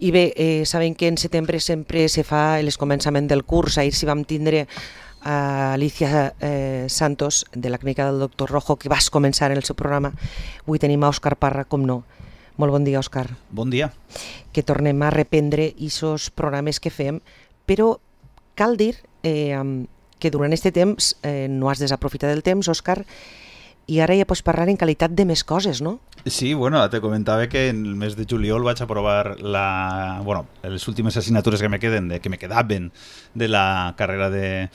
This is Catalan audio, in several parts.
I bé, sabem que en setembre sempre se fa el començament del curs. Ahir si vam tindre a Alicia Santos, de la clínica del doctor Rojo, que vas començar en el seu programa. Avui tenim a Òscar Parra, com no. Molt bon dia, Òscar. Bon dia. Que tornem a reprendre aquests programes que fem, però cal dir que durant aquest temps no has desaprofitat el temps, Òscar, i ara ja pots parlar en qualitat de més coses, no? Sí, bueno, te comentava que en el mes de juliol vaig aprovar les últimes assignatures que me quedaven de la carrera de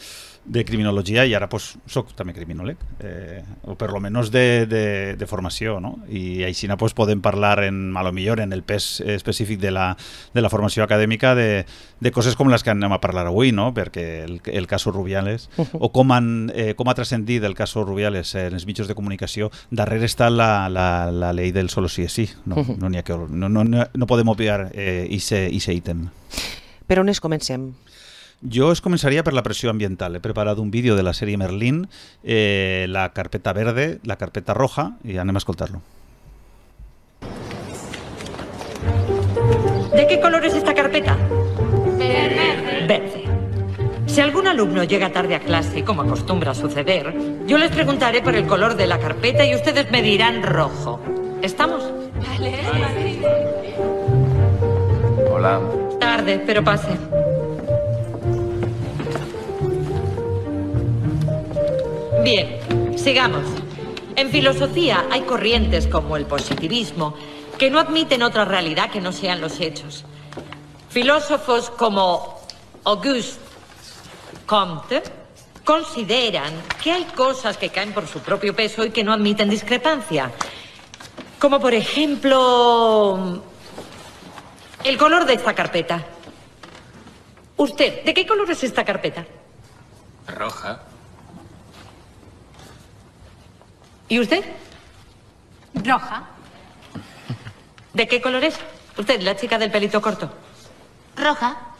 criminologia, i ara pues, soc també criminòleg, o per lo menos de formació, no? I així pues, podem parlar a lo millor en el pes específic de la formació acadèmica de coses com les que anem a parlar avui, no? Perquè el cas Rubiales, o com ha transcendit el cas Rubiales en els mitjans de comunicació, darrere està la llei del solo sí es sí. No podem obviar ese ítem. Per on comencem? Jo començaria per la pressió ambiental. He preparat un vídeo de la sèrie Merlín, la carpeta verde, la carpeta roja, y anem a escoltarlo. ¿De qué color es esta carpeta? Verde. Si algún alumno llega tarde a clase, como acostumbra suceder, yo les preguntaré por el color de la carpeta y ustedes me dirán rojo. ¿Estamos? Vale. Hola. Tarde, pero pase. Bien, sigamos. En filosofía hay corrientes como el positivismo que no admiten otra realidad que no sean los hechos. Filósofos como Auguste Comte consideran que hay cosas que caen por su propio peso y que no admiten discrepancia. Como por ejemplo, el color de esta carpeta. Usted, ¿de qué color es esta carpeta? Roja. ¿Y usted? Roja. ¿De qué color es? Usted, la chica del pelito corto. Roja.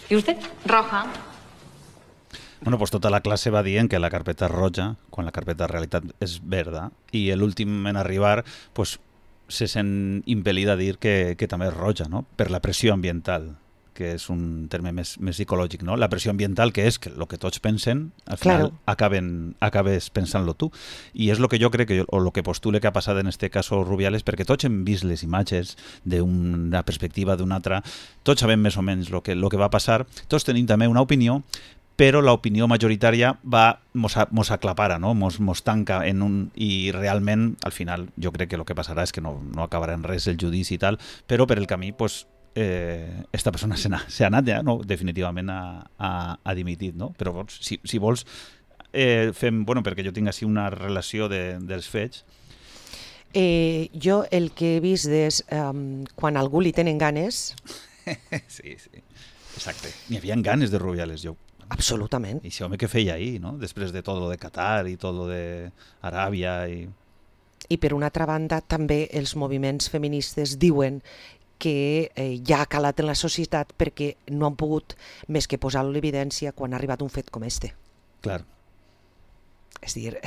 ¿Y usted? Roja. Bueno, pues tota la classe va dient que la carpeta és roja, quan la carpeta en realitat és verda, i l'últim en arribar pues, se sent impel·lida a dir que també és roja, no? Per la pressió ambiental, que és un terme més psicològic, no? La pressió ambiental, que és que el que tots pensen, al final acabes pensant-lo tu. I és el que jo crec, o el que postule que ha passat en este cas Rubiales, perquè tots hem vist les imatges d'una perspectiva, d'una altra, tots sabem més o menys el que va passar, tots tenim també una opinió, però l'opinió majoritària mos aclapara, no? Mos tanca en un... I realment, al final, jo crec que el que passarà és que no acabarà en res el judici i tal, però per el camí, pues, esta persona s'ha anat ja, no? Definitivament ha dimitit, no? Però si vols, fem... Bueno, perquè jo tinc així una relació dels fets. Jo el que he vist és quan algú li tenen ganes... Sí, exacte. N'hi havia ganes de Rubiales, jo. Absolutament. I això home que feia ahir, no? Després de tot lo de Qatar i tot lo de Aràbia I per una altra banda també els moviments feministes diuen que ja ha calat en la societat perquè no han pogut més que posar l'evidència quan ha arribat un fet com este. Clar. És dir,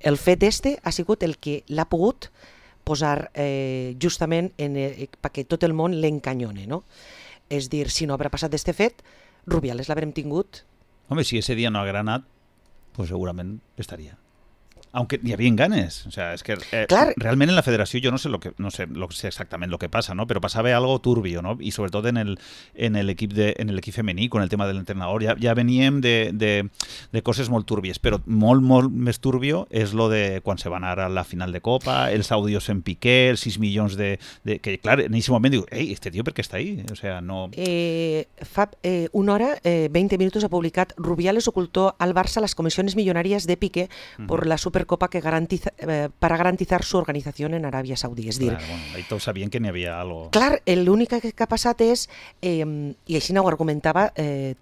el fet este ha sigut el que l'ha pogut posar justament perquè tot el món l'encanyone, no? És dir, si no haurà passat d'este fet, Rubiales l'haurem tingut. Home, si ese dia no haguera anat, pues segurament estaria. Aunque hi havia ganes, o sea, es que realment en la federació jo no sé exactament lo que pasa, ¿no? Pero pasaba algo turbio, ¿no? Y sobre todo en el equip femení, con el tema del entrenador, ja veníem de coses molt turbies, però molt més turbio és lo de quan se van anar a la final de Copa, els àudios en Piqué, els 6 milions de... que clar, en aquest moment diu, ei, este tío per què està ahí? O sea, no... Fa una hora, 20 minutos ha publicat Rubiales ocultó al Barça las comisiones millonarias de Piqué por la Supercopa que para garantizar su organización en Arabia Saudí. És dir, ahí tots sabien que n'hi havia algo. Clar, l'únic que ha passat és, i així ho argumentava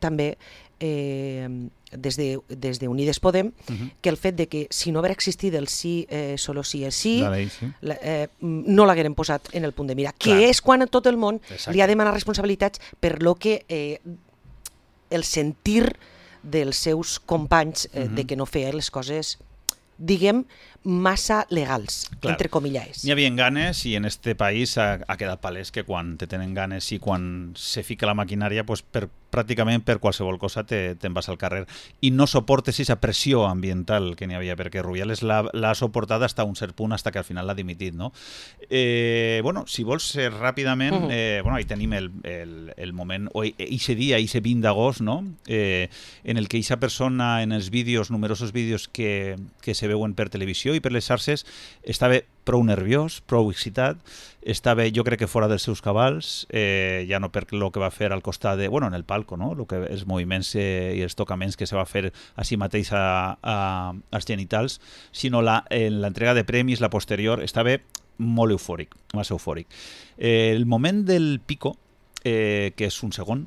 també des de Unides Podem, que el fet de que si no haguera existit el sí, solo sí és sí, no l'hagueren posat en el punt de mira, que és quan tot el món li ha demanat responsabilitats per lo que el sentir dels seus companys de que no feia les coses, diguem, massa legals, Clar. entre comillas. N'hi havia ganes i en este país ha quedat palès que quan te tenen ganes i quan se fica la maquinària, pues pràcticament per qualsevol cosa te'n vas al carrer. I no soportes aquesta pressió ambiental que n'hi havia, perquè Rubiales l'ha suportat fins a un cert punt, fins que al final l'ha dimitit, no? Bueno, si vols ser ràpidament, bueno, ahí tenim el moment, o eixe dia, eixe 20 d'agost, no? En el que eixa persona, en els vídeos, numerosos vídeos que se veuen per televisió i per les xarxes, estava prou nerviós, prou excitat, estava, jo crec que fora dels seus cabals, ja no per lo que va fer al costat de, bueno, en el palco, no? Lo que els moviments i els tocaments que se va fer a si mateix als genitals, sinó en l'entrega de premis, la posterior, estava molt eufòric, massa eufòric. El moment del pico, que és un segon,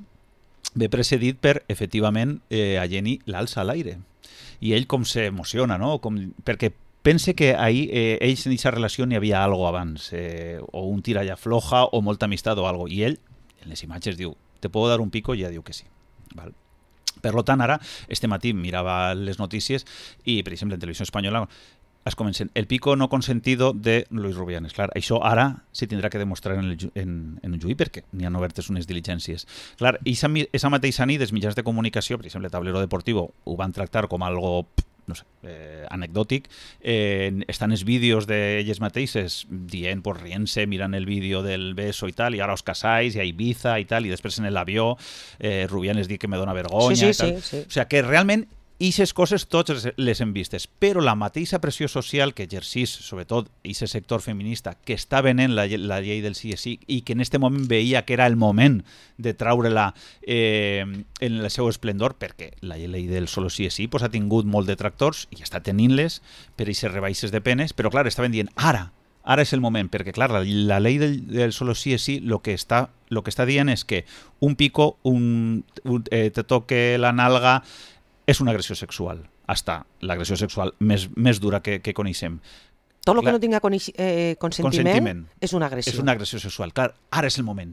ve precedit per, efectivament, a Jenny l'alça a l'aire. I ell com s'emociona, no? Perquè pense que ahí ells en aquesta relació n'hi havia algo abans, o un tira ya floja o molta amistat o algo. I ell, en les imatges, diu, ¿te puedo dar un pico? I ja diu que sí. Val. Per tant, ara, este matí mirava les notícies i, per exemple, en Televisió Espanyola es comencen el pico no consentido de Luis Rubianes. Clar, això ara se tindrà que demostrar en un juí perquè n'hi han obertes unes diligències. Clar, esa mateixa nit els mitjans de comunicació, per exemple, Tablero Deportivo, ho van tractar com algo, no sé, anecdòtic. Estan els vídeos d'elles mateixes dient, pues, rient-se, mirant el vídeo del beso i tal, i ara os casáis, i a Ibiza i tal, i després en l'avió Rubianes diu que me dona vergonya i tal. Sí. O sigui que realment aquestes coses tots les hem vistes, però la mateixa pressió social que exercís, sobretot, aquest sector feminista que està venent la llei del sí és sí i que en aquest moment veia que era el moment de traure-la en el seu esplendor, perquè la llei del solo sí és sí pues, ha tingut molt de detractors i està tenint-les per aquestes rebaixes de penes, però clar, estaven dient ara és el moment, perquè clar, la llei del solo sí és sí lo que està dient és que un pico, te toque la nalga, és una agressió sexual, hasta l'agressió sexual més dura que coneixem. Tot el que no tinga consentiment és una agressió. És una agressió sexual. Clar, ara és el moment.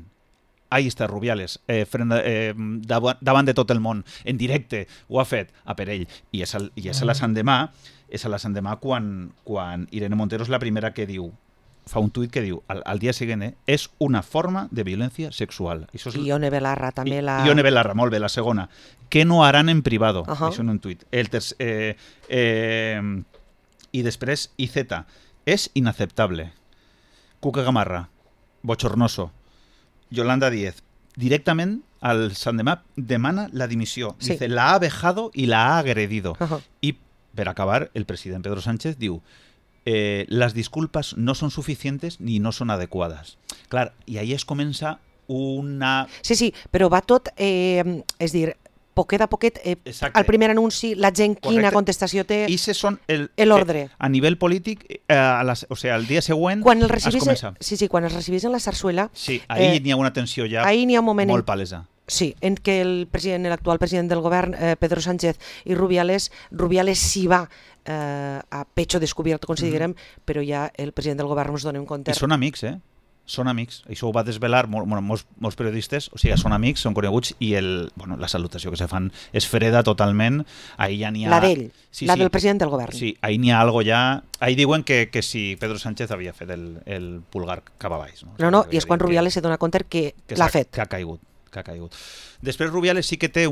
Ahí està Rubiales, davant de tot el món, en directe, ho ha fet a per ell. I és a la Sant Demà quan Irene Montero és la primera que diu, fa un tuit que diu, al dia següent, és una forma de violència sexual. I Ione Belarra també la... Ione Belarra, molt bé, la segona. Que no harán en privado. Això en un tuit. I després, IZ, és inaceptable. Cuca Gamarra, bochornoso. Yolanda Díez, directament al Sant Demà demana la dimissió. Sí. Dice, la ha vejado y la ha agredido. I, per acabar, el president Pedro Sánchez diu, las disculpas no son suficientes ni no son adecuadas. Clar, i ahí es comença una... Sí, però va tot, és dir, poquet a poquet, al primer anunci, la gent quina contestació té, l'ordre. A nivell polític, o sigui, el dia següent quan es comença. Quan es recibís en la zarzuela... Sí, ahí n'hi ha una tensió ja molt palesa. Sí, en què l'actual president del govern, Pedro Sánchez i Rubiales s'hi va a pecho descobert, considerem, però ja el president del govern ens donem compte. I són amics, Són amics. Això ho va desvelar molts periodistes, o sigui, són amics, són coneguts, i la salutació que se fan és freda totalment. Ahí ja n'hi ha... La d'ell, la del president del govern. Sí, ahí n'hi ha algo ja... Ahí diuen que si Pedro Sánchez havia fet el pulgar cap a baix. No, i és quan Rubiales se dona compte que l'ha fet. Que ha caigut. Després Rubiales sí que té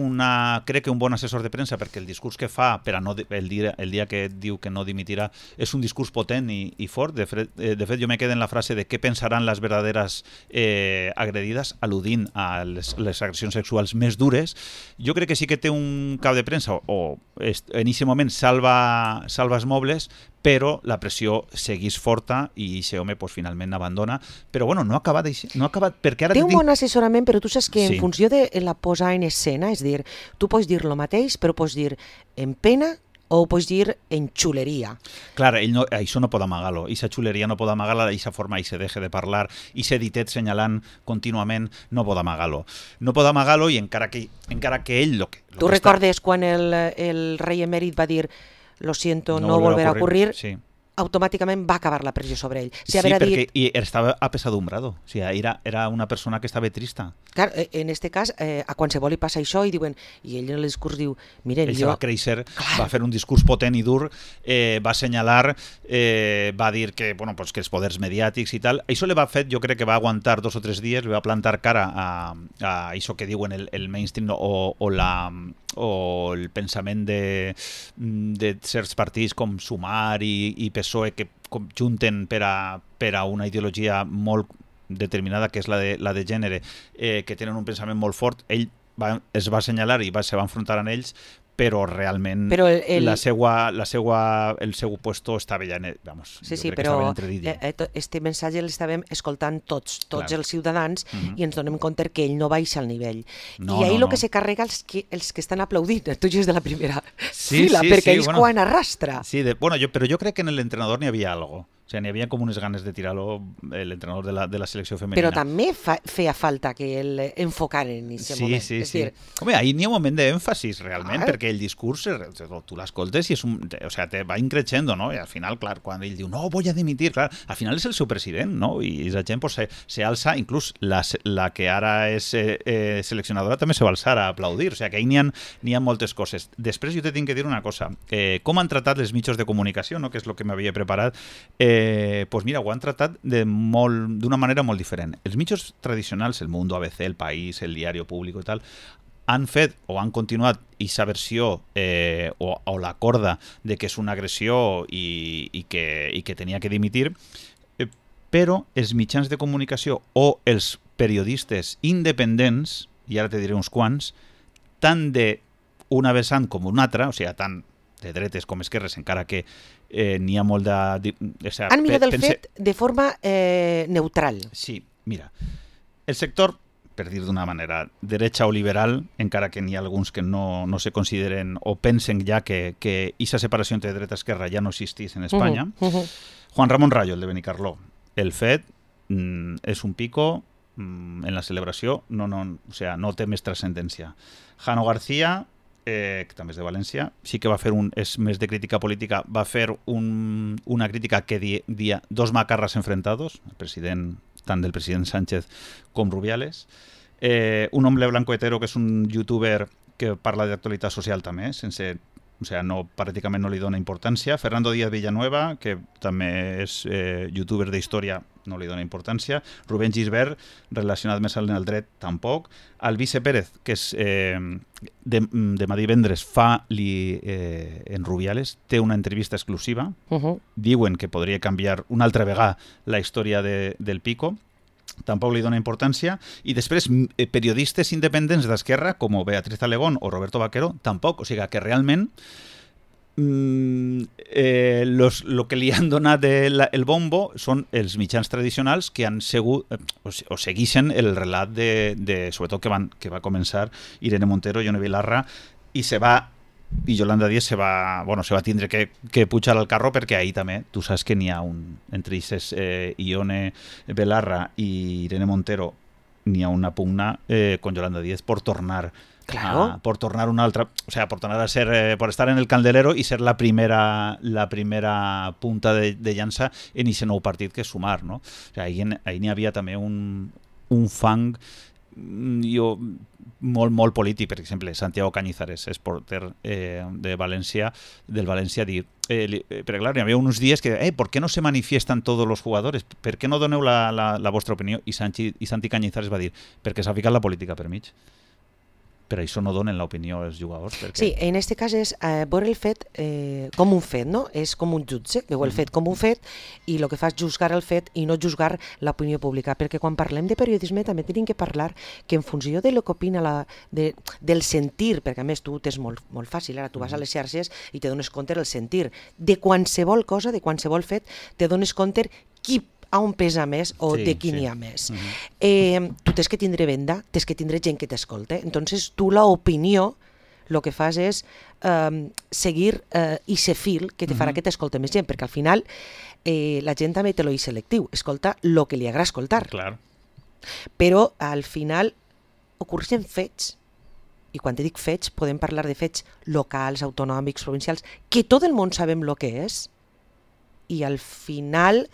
crec que un bon assessor de premsa, perquè el discurs que fa el dia que diu que no dimitirà és un discurs potent i fort. De fet, jo me quedo en la frase de què pensaran les verdaderes agredides, al·ludint a les agressions sexuals més dures. Jo crec que sí que té un cap de premsa, o en aquest moment salva els mobles, però la pressió seguís forta i aquest home finalment abandona. Però bueno, no ha acabat perquè ara... Té un bon assessorament, però tu saps que en funció de la posar en escena, és dir, tu pots dir lo mateix, però pots dir en pena o ho pots dir en xuleria. Clar, això no pot amagar-lo. Aquesta xuleria no pot amagar-la, aquesta forma, i se deje de parlar, i se ditet senyalant contínuament, no pot amagar-lo. No pot amagar-lo, i encara que ell... Tu recordes quan el rei emèrit va dir lo siento, no volverá a ocurrir? Sí. automàticament va acabar la pressió sobre ell. Si Sí, haver perquè dit, estava apesadumbrado. O sigui, era una persona que estava trista. clar, en este cas, a qualsevol li passa això i diuen, i ell en el discurs diu, miren, Ell se jo... va créixer, va fer un discurs potent i dur, va assenyalar, va dir que, bueno, pues, que els poders mediàtics i tal. Això li va fet, jo crec que va aguantar 2 o 3 dies, li va plantar cara a això que diuen el mainstream o el pensament de certs partits com Sumar i PSOE que junten per a una ideologia molt determinada, que és la de gènere, que tenen un pensament molt fort. Ell es va assenyalar i se va enfrontar amb ells, però realment Però el seu puesto estava ja... Vamos, Sí, jo crec que però estava entredit. este missatge l'estàvem escoltant tots Clar. els ciutadans Mhm. i ens donem compte que ell no baixa al nivell. No, I ahir no, el que no. se carrega els que estan aplaudint, tu és de la primera Sí, fila, sí, perquè sí, ells bueno. quan arrastra. Sí, però jo crec que en l'entrenador n'hi havia algo. O sigui, n'hi havia com unes ganes de tirar-lo, l'entrenador de la selecció femenina. Però també feia falta que el enfocaren en aquest moment. Sí, És sí. dir, Home, ahir n'hi ha un moment d'èmfasis, realment, Clar. perquè el discurs, tu l'escoltes i te va increixendo, no? I al final, clar, quan ell diu, no, voy a dimitir, clar, al final és el seu president, no? I la gent pues, se alça, inclús la que ara és seleccionadora també se va alçar a aplaudir, o sigui que ahir n'hi ha moltes coses. Després jo te tinc que dir una cosa, com han tratat els mitjans de comunicació, no? Que és el que m'havia preparat, pues mira, ho han tratat d'una manera molt diferent. Els mitjans tradicionals, el Mundo, ABC, el País, el Diario Público i tal, han fet o han continuat aquesta versió o la corda de que és una agressió i que tenia que dimitir, però els mitjans de comunicació o els periodistes independents, i ara te diré uns quants, tant d'una vessant com una altra, o sigui, tant de dretes com esquerres, encara que n'hi ha molt de... han mirat el fet de forma neutral. Sí, mira, el sector, per dir d'una manera, derecha o liberal, encara que n'hi ha alguns que no se consideren o pensen ja que aquesta separació entre dreta i esquerra ja no existís en Espanya. Juan Ramón Rayo, el de Benicarló, el fet és un pico en la celebració, o sea, no té més transcendència. Jano García, que també és de València, sí que va fer és més de crítica política, va fer una crítica que dia dos macarras enfrentados, tant del president Sánchez com Rubiales. Un hombre blanco hetero, que és un youtuber que parla d'actualitat social també, pràcticament no li dona importància. Fernando Díaz Villanueva, que també és youtuber d'història, no li dona importància. Rubén Gisbert, relacionat més amb el dret, tampoc. Alvise Pérez, que és demà divendres en Rubiales, té una entrevista exclusiva. Diuen que podria canviar una altra vegada la història del Pico. Tampoc li dona importància. I després periodistes independents d'esquerra com Beatriz Alegón o Roberto Vaquero tampoc, o sigui que realment lo que li han donat el bombo són els mitjans tradicionals que han segut o segueixen el relat sobretot que va començar Irene Montero, Ione Belarra, i Yolanda Díez se va tindre que pujar al carro, perquè ahir també, tu saps que n'hi ha entre ells Ione Belarra i Irene Montero, n'hi ha una pugna con Yolanda Díez por tornar una altra, o sea, por tornar a ser, por estar en el candelero i ser la primera punta de llança en aquest nou partit que és Sumar, no? O sea, ahir n'hi havia també un fang molt polític. Per exemple, Santiago Cañizares, és porter del València, pero claro, había unos días que, ¿por qué no se manifiestan todos los jugadores? ¿Per qué no doneu la vostra opinió? I Santi Cañizares va dir, perquè s'ha ficat la política per mig. Per això no donen l'opinió als jugadors. Sí, en aquest cas és veure el fet com un fet, no? És com un jutge, veu el fet com un fet i el que fa és juzgar el fet i no juzgar l'opinió pública, perquè quan parlem de periodisme també tenim que parlar que en funció de lo que opina del sentir, perquè a més tu tens molt fàcil, ara tu vas a les xarxes i te dones compte del sentir, de qualsevol cosa, de qualsevol fet, te dones compte qui a on pesa més o de qui n'hi ha més. Tu tens que tindre venda, tens que tindre gent que t'escolta. Entonces tu l'opinió el que fas és seguir i ser fil que te farà que t'escolta més gent, perquè al final la gent també té l'oït selectiu, escolta el que li agrada escoltar. Clar. Però al final ocorreixen fets, i quan te dic fets podem parlar de fets locals, autonòmics, provincials, que tot el món sabem el que és, i al final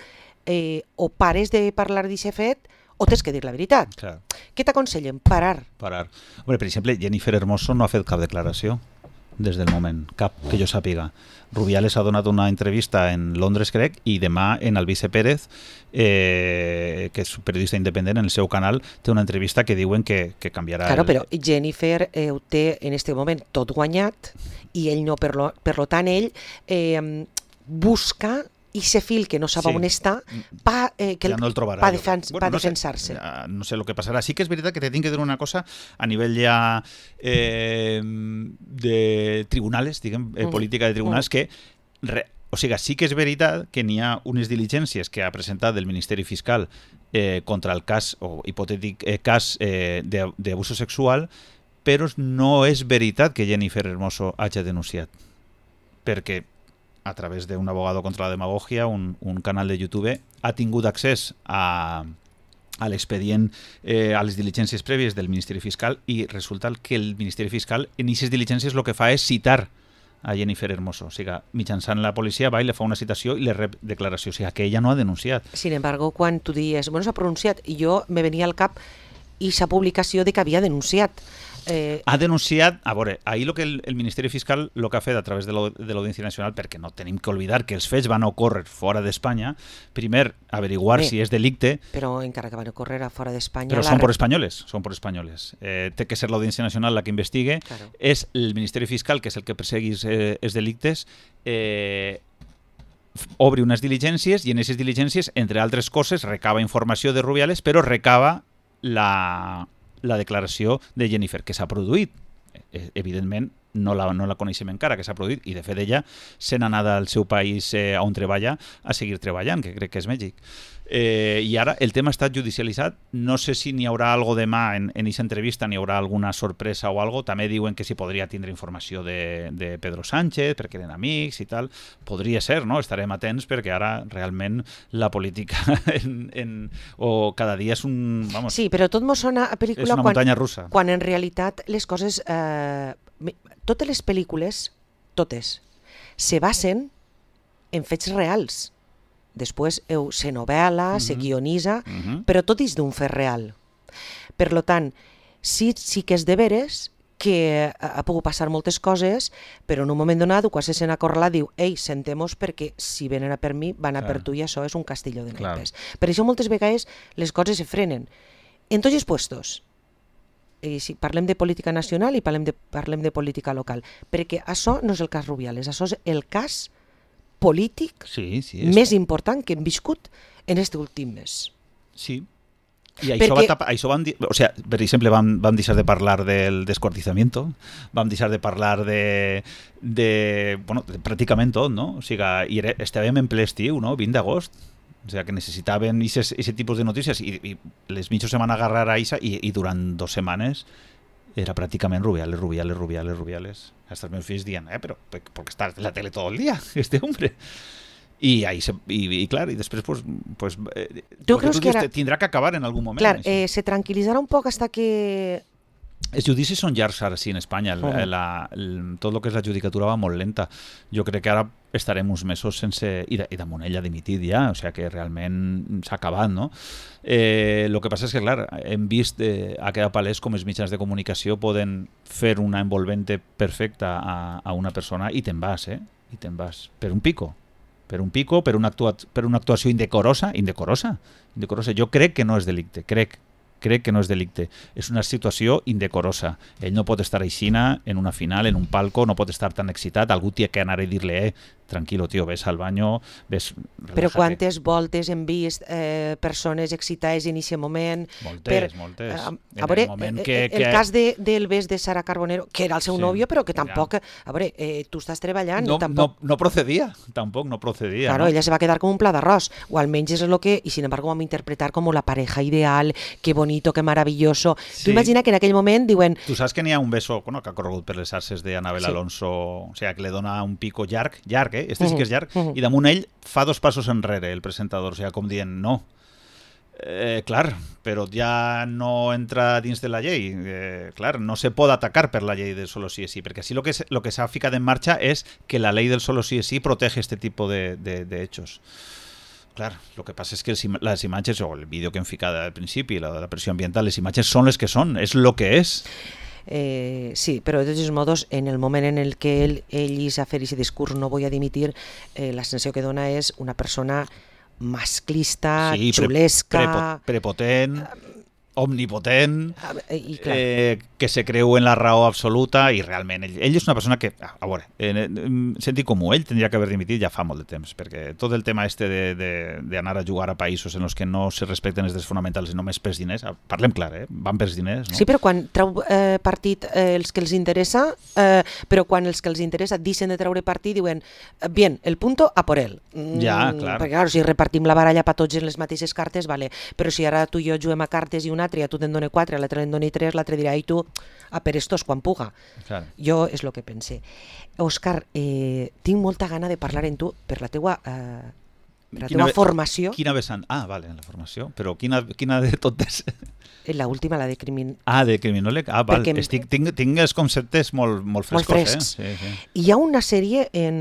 o pares de parlar d'aquest fet o tens que dir la veritat. Clar. Què t'aconsellen? Parar. Hombre, per exemple, Jennifer Hermoso no ha fet cap declaració des del moment, cap que jo sàpiga. Rubiales ha donat una entrevista en Londres, crec, i demà en Alvise Pérez, que és un periodista independent, en el seu canal, té una entrevista que diuen que canviarà... Claro, però Jennifer ho té en este moment tot guanyat i ell no, per lo tant, ell busca i se fil que no sap on està pa no el trobarà, defensar-se. No sé el que passarà. Sí que és veritat que te tinc que dir una cosa a nivell ja de tribunals, diguem, política de tribunals, que o sigui, sí que és veritat que n'hi ha unes diligències que ha presentat el Ministeri Fiscal contra el cas, o hipotètic cas d'abuso sexual, però no és veritat que Jennifer Hermoso hagi denunciat, perquè a través d'un abogado contra la demagogia, un canal de YouTube, ha tingut accés a l'expedient, a les diligències prèvies del Ministeri Fiscal, i resulta que el Ministeri Fiscal en aquestes diligències el que fa és citar a Jennifer Hermoso. O sigui, mitjançant la policia va i le fa una citació i le rep declaració. O sigui, que ella no ha denunciat. Sin embargo, quan tu dius, bueno, s'ha pronunciat, i jo me venia al cap aquesta publicació de que havia denunciat. Ha denunciat, a veure, ahir lo que el Ministeri Fiscal lo que ha fet a través de l'Audiència Nacional, perquè no tenim que oblidar que els fets van ocórrer fora d'Espanya, primer averiguar si és delicte... Però encara que van ocórrer a fora d'Espanya... Però són por espanyoles, són por espanyoles. Té que ser l'Audiència Nacional la que investigue, claro. És el Ministeri Fiscal, que és el que perseguís els delictes, obre unes diligències i en aquestes diligències, entre altres coses, recava informació de Rubiales, però recava la declaració de Jennifer, que s'ha produït. Evidentment, no la coneixem encara, que s'ha produït, i de fet ella se n'ha anat al seu país on treballa a seguir treballant, que crec que és Mèxic. I ara el tema ha estat judicialitzat. No sé si n'hi haurà algo demà en aquesta entrevista, n'hi haurà alguna sorpresa o algo. També diuen que si podria tindre informació de Pedro Sánchez, perquè eren amics i tal. Podria ser, no? Estarem atents, perquè ara realment la política o cada dia és un... Vamos, sí, però tot mos sona a pel·lícula... És una muntanya russa. Quan en realitat les coses... totes les pel·lícules, totes, se basen en fets reals. Després se novel·la, se guionitza, però tot és d'un fet real. Per tant, sí que és de veres que ha pogut passar moltes coses, però en un moment donat, quan se sent acorralat, diu, ei, sentemos perquè si venen a per mi, van a per tu, i això és un castillo de naipes. Per això moltes vegades les coses se frenen. En tots els puestos, si parlem de política nacional i parlem de política local, perquè això no és el cas Rubiales, això és el cas polític més important que hem viscut en aquest últim mes. Sí. I això vam dir, o sigui, per exemple, vam deixar de parlar del descuartizamiento, vam deixar de parlar de pràcticament tot, no? O sigui, estàvem en ple estiu, no? 20 d'agost. O sigui, que necessitaven aquest tipus de notícies i les mitjos se van agarrar a això i durant 2 setmanes era pràcticament Rubiales. Hasta els meus fills dient, però perquè està en la tele tot el dia, este hombre. I clar, i després pues tu creus que tindrà que acabar en algun moment. Clar, se tranquil·litzarà un poc hasta que... Els judicis són llargs ara sí en Espanya, tot el que és la judicatura va molt lenta. Jo crec que ara estarem uns mesos sense... I damunt ell ha dimitit ja, o sigui que realment s'ha acabat, no? El que passa és que, clar, hem vist, ha quedat palès com els mitjans de comunicació poden fer una envolvente perfecta a una persona i te'n vas, i te'n vas. Per un pico, per una actuació indecorosa. Jo crec que no és delicte, crec que no és delicte. És una situació indecorosa. Ell no pot estar aixina en una final, en un palco, no pot estar tan excitat. Algú té que anar a dir-li, tranquilo, tio, ves al baño, ves... Relájate. Però quantes voltes hem vist persones excitades en aquest moment? Moltes. A veure, el cas del bes de Sara Carbonero, que era el seu nòvio, però que tampoc... A veure, tu estàs treballant... No procedia, tampoc no procedia. Claro, ella se va quedar com un pla d'arròs, o almenys és el que... I sin embargo vam interpretar com la pareja ideal, que bonito, que maravilloso. Tu imagina que en aquell moment diuen... Tu saps que n'hi ha un beso que ha corregut per les arces d'Anabel Alonso, o sigui, que le dona un pico llarg, este sí que és llarg, i damunt ell fa 2 passos enrere, el presentador, o sigui, com dient no. Clar, però ja no entra dins de la llei. Clar, no se pot atacar per la llei del solo sí es sí, perquè així lo que s'ha ficat en marxa és que la ley del solo sí es sí protege este tipo de hechos. Clar, lo que passa és que les imatges, o el vídeo que hem ficat al principi, la pressió ambiental, les imatges són les que són, és lo que és. Sí, però de tots modos, en el moment en el que ell a fer aquest discurs no voy a dimitir, la sensació que dona és una persona masclista, sí, xulesca... prepotent, omnipotent, i clar. Que se creu en la raó absoluta, i realment ell és una persona que, a veure, sentit comú, ell tindria que haver dimitit ja fa molt de temps, perquè tot el tema este d'anar a jugar a països en els que no se respecten els drets fonamentals i només pels diners, parlem clar, van pels diners, no? Sí, però quan treu partit els que els interessa, però quan els que els interessa deixen de treure partit, diuen, bien, el punto a por él. Ja, clar. Perquè, clar, si repartim la baralla per tots en les mateixes cartes, vale, però si ara tu i jo juguem a cartes i un altre, tu te'n dona 4, l'altre te'n doni 3, l'altre dirà, i tu, a per estos quan puga. Clar. Jo és el que pense. Òscar, tinc molta gana de parlar amb tu per la teua formació. Quina vessant? Ah, vale, la formació. Però quina de totes? La última, la de criminòleg. Ah, de criminòleg? Ah, val. Tinc els conceptes molt frescos. Molt frescs. Sí. Hi ha una sèrie en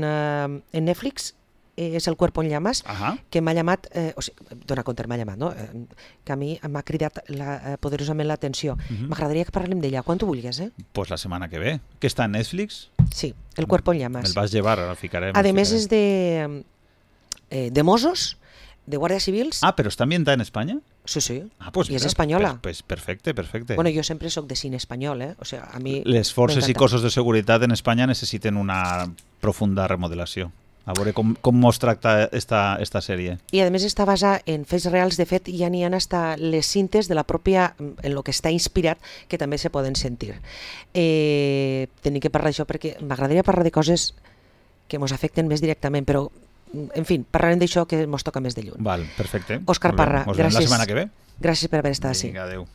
Netflix, és El cuerpo en llamas, que m'ha llamat, o sigui, dona compte, m'ha llamat, no? Que a mi m'ha cridat poderosament l'atenció. M'agradaria que parlem d'ella, quan tu vulguis, Pues la setmana que ve. Que està en Netflix? Sí, El cuerpo en llamas. Me'l vas llevar, ara el ficarem. A més és de Mossos, de Guàrdia Civils. Ah, però està ambientada en Espanya? Sí. Pues i és espanyola. Pues perfecte. Bueno, jo sempre soc de cine espanyol, O sigui, a mi les forces i cossos de seguretat en Espanya necessiten una profunda remodelació. A veure com mos tracta esta sèrie. I a més està basada en fets reals. De fet, ja n'hi ha hasta les cintes de la pròpia, en lo que està inspirat, que també se poden sentir. Tenim que parlar d'això perquè m'agradaria parlar de coses que ens afecten més directament, però, en fi, parlarem d'això que ens toca més de lluny. Val, perfecte. Òscar Parra, gràcies. La setmana que ve. Gràcies per haver estat ací. Vinga, adéu.